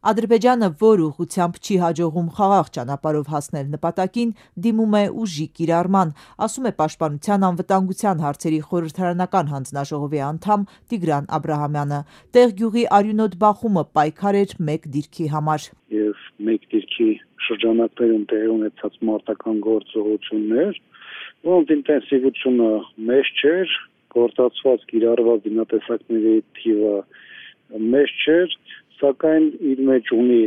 Ադրբեջանը, որ ուղղությամբ չի հաջողում խաղաղ ճանապարհով հասնել նպատակին, դիմում է ուժի կիրառման, ասում է Պաշտպանության անվտանգության հարցերի խորհրդարանական հանձնաժողովի անդամ Տիգրան Աբրահամյանը։ Տեղ-գյուղի արյունոտ բախումը պայքար էր մեկ դիրքի համար։ Եվ մեկ դիրքի շրջանակներում տեղի ունեցած մարտական գործողություններ, որոնց ինտենսիվությունը մեծ չէր, գործածված կիրառված զինատեսակների թիվը մեծ չէր, սակայն իր մեջ ունի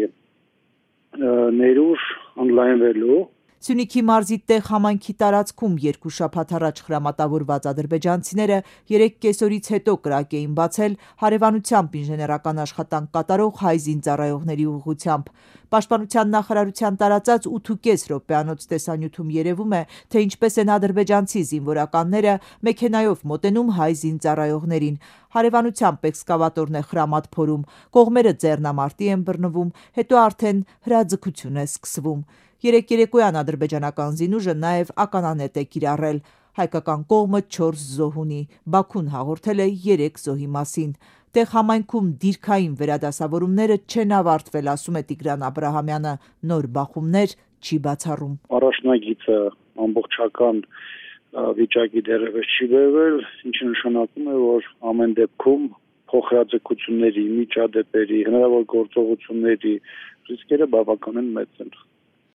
ներուժ ընդլայնվելու։ Սյունիքի մարզի տեղ համայնքի տարածքում երկու շաբաթ առաջ խրամատավորված ադրբեջանցիները 3 կեսօրից հետո կրակ էին բացել հարևանությամբ ինժեներական աշխատանք կատարող հայ զինծառայողների ուղղությամբ։ Պաշտպանության նախարարության տարածած 8.5 րոպեանոց տեսանյութում երևում է, թե ինչպես են ադրբեջանցի զինվորականները մեքենայով մոտենում հայ զինծառայողներին։ Հարևանությամբ էքսկավատորն է խրամատ փորում, կողմերը ձեռնամարտի են բռնվում, հետո արդեն հրաձգություն է սկսվում։ Երեկոյան ադրբեջանական զինուժը նաև ականանետ է կիրառել։ Հայկական կողմը 4 զոհ ունի, Բաքուն հաղորդել է 3 զոհի մասին։ Տեղ համայնքում դիրքային վերադասավորումները չեն ավարտվել, ասում է Տիգրան Աբրահամյանը, նոր բախումներ չի բացառում։ Առաջնագիծը ամբողջական վիճակի դեռևս չի բերվել, ինչը նշանակում է, որ ամեն դեպքում փոխհրաձգությունների, միջադեպերի, հնարավոր գործողությունների ռիսկերը բավականին մեծ են։